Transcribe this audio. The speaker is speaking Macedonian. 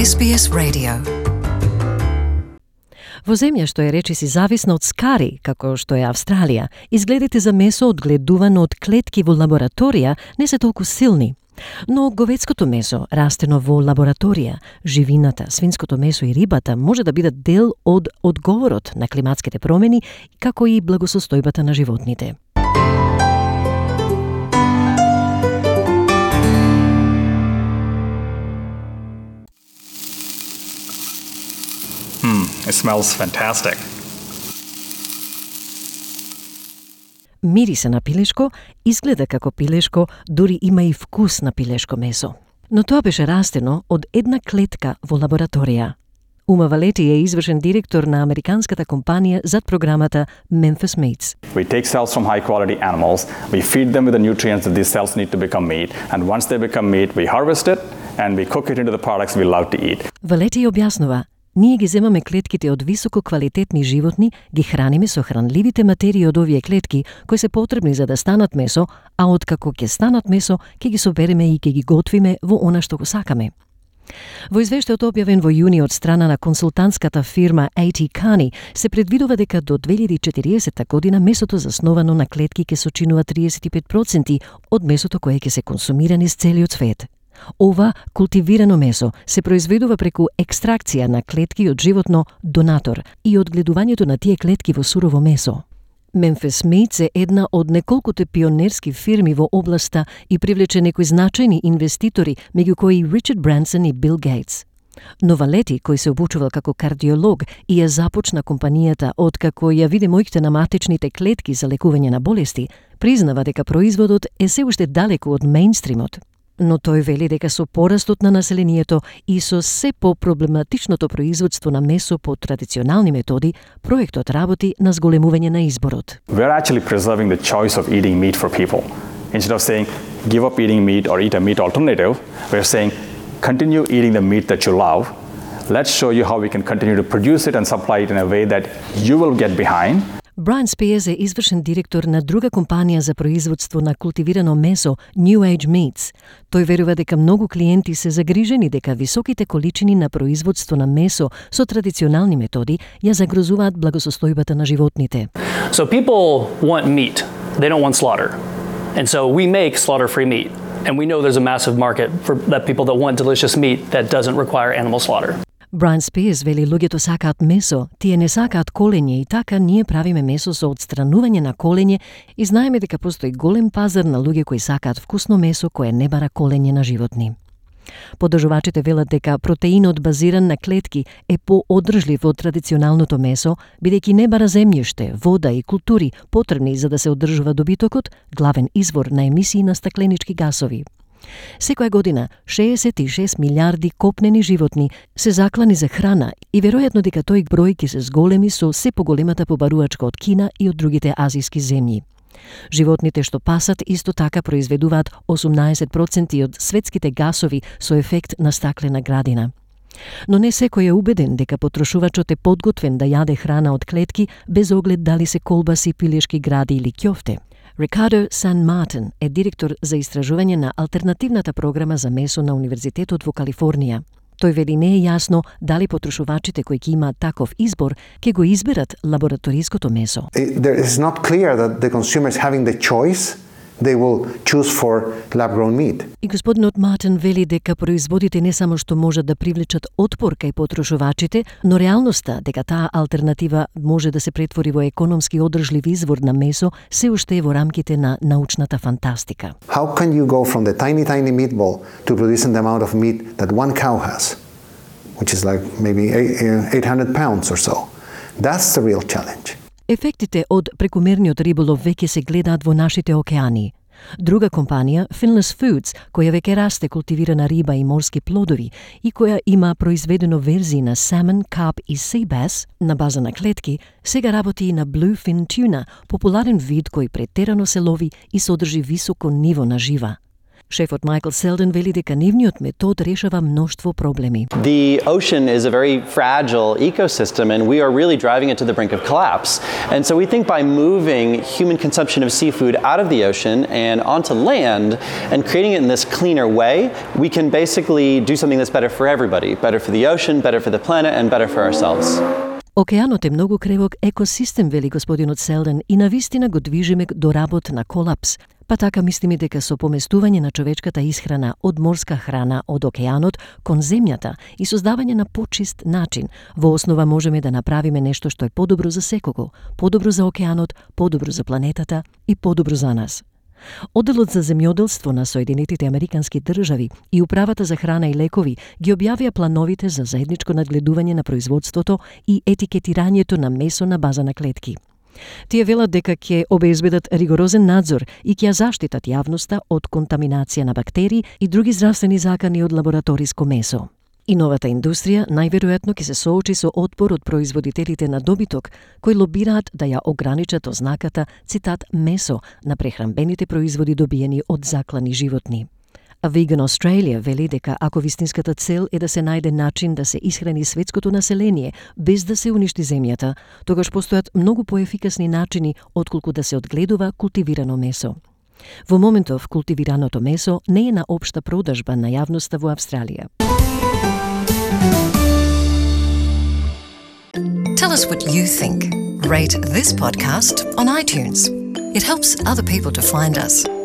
SBS Radio. Во земја што е речиси зависна од скари, како што е Австралија, изгледите за месо одгледувано од клетки во лабораторија не се толку силни. Но говедското месо, растено во лабораторија, живината, свинското месо и рибата може да бидат дел од одговорот на климатските промени, како и благосостојбата на животните. It smells fantastic. Мирисе на пилешко, изгледа како пилешко, дури има и вкус на пилешко месо. Но тоа беше растено од една клетка во лабораторија. Uma Valeti е извршен директор на американската компанија зад програмата Memphis Meats. We take cells from high-quality animals, we feed them with the nutrients that these cells need to become meat, and once they become meat, we harvest it and we cook it into the products we love to eat. Valeti објаснува: ние ги земаме клетките од високо квалитетни животни, ги храниме со хранливите материи од овие клетки, кои се потребни за да станат месо, а откако ќе станат месо, ќе ги собереме и ќе ги готвиме во она што го сакаме. Во извештајот објавен во јуни од страна на консултантската фирма A.T. Kearney се предвидува дека до 2040 година месото засновано на клетки ќе сочинува 35% од месото кое ќе се консумира низ целиот свет. Ова култивирано месо се произведува преку екстракција на клетки од животно донатор и одгледувањето на тие клетки во сурово месо. Memphis Meats е една од неколкуте пионерски фирми во областа и привлече некои значајни инвеститори, меѓу кои Ричард Бренсон и Бил Гейтс. Но Валети, кој се обучувал како кардиолог и ја започна компанијата откако ја виде моите на матечните клетки за лекување на болести, признава дека производот е се уште далеку од мејнстримот. Но тој вели дека со порастот на населението и со се по-проблематичното производство на месо по традиционални методи, проектот работи на зголемување на изборот. We're actually preserving the choice of eating meat for people. Instead of saying, give up eating meat or eat a meat alternative, we're saying, continue eating the meat that you love. Let's show you how we can continue to produce it and supply it in a way that you will get behind. Брайан Спиерс е извршен директор на друга компанија за производство на култивирано месо, New Age Meats. Тој верува дека многу клиенти се загрижени дека високите количини на производство на месо со традиционални методи ја загрозуваат благосостојбата на животните. So people want meat. They don't want slaughter. And so we make slaughter-free meat. And we know there's a massive market for that people that want delicious meat that doesn't require animal slaughter. Брайан Спиерс вели луѓето сакаат месо, тие не сакаат колење и така ние правиме месо со отстранување на колење и знаеме дека постои голем пазар на луѓе кои сакаат вкусно месо кое не бара колење на животни. Подржувачите велат дека протеинот базиран на клетки е поодржлив од традиционалното месо, бидејќи не бара земјиште, вода и култури потребни за да се одржува добитокот, главен извор на емисии на стакленички гасови. Секоја година 66 милиарди копнени животни се заклани за храна и веројатно дека тој број ќе се зголеми со се поголемата побарувачка од Кина и од другите азиски земји. Животните што пасат исто така произведуваат 18% од светските гасови со ефект на стаклена градина. Но не секој е убеден дека потрошувачот е подготвен да јаде храна од клетки без оглед дали се колбаси, пилешки гради или ќофте. Рикардо Сан Мартин е директор за истражување на алтернативната програма за месо на Универзитетот во Калифорнија. Тој вели не е јасно дали потрошувачите кои ќе имаат таков избор ќе го изберат лабораториското месо. It is not clear that the consumers having the choice they will choose for lab-grown meat. И господинот Мартин вели дека производите не само што можат да привлечат отпор кај потрошувачите, но реалноста дека таа алтернатива може да се претвори во економски одржлив извор на месо се уште е во рамките на научната фантастика. How can you go from the tiny meatball to producing the amount of meat that one cow has, which is like maybe 800 pounds or so? That's the real challenge. Ефектите од прекумерниот риболов веќе се гледаат во нашите океани. Друга компанија, Finless Foods, која веќе расте култивирана риба и морски плодови и која има произведено верзии на salmon, carp и sea bass на база на клетки, сега работи и на bluefin tuna, популарен вид кој претерано се лови и содржи високо ниво на жива. Шефот Майкл Селден вели дека нивниот метод решава мноштво проблеми. The ocean is a very fragile ecosystem and we are really driving it to the brink of collapse. And so we think by moving human consumption of seafood out of the ocean and onto land and creating it in this cleaner way, we can basically do something that's better for everybody, better for the ocean, better for the planet and better for ourselves. Океанот е многу кревок екосистем, вели господинот Селден, и навистина го движиме до работ на колапс. Па така мислиме дека со поместување на човечката исхрана од морска храна од океанот кон земјата и создавање на почист начин, во основа можеме да направиме нешто што е подобро за секого, подобро за океанот, подобро за планетата и подобро за нас. Одделот за земјоделство на Соединетите Американски држави и Управата за храна и лекови ги објавија плановите за заедничко надгледување на производството и етикетирањето на месо на база на клетки. Тие велат дека ќе обезбедат ригорозен надзор и ќе ја заштитат јавноста од контаминација на бактерии и други здравствени закани од лабораториско месо. И новата индустрија најверојатно ќе се соочи со отпор од производителите на добиток, кои лобираат да ја ограничат ознаката, цитат, месо на прехранбените производи добиени од заклани животни. А Vegan Australia вели дека ако вистинската цел е да се најде начин да се исхрани светското население без да се уништи земјата, тогаш постојат многу поефикасни начини отколку да се одгледува култивирано месо. Во моментов култивираното месо не е на општа продажба на јавноста во Австралија. Tell us what you think. Rate this podcast on iTunes. It helps other people to find us.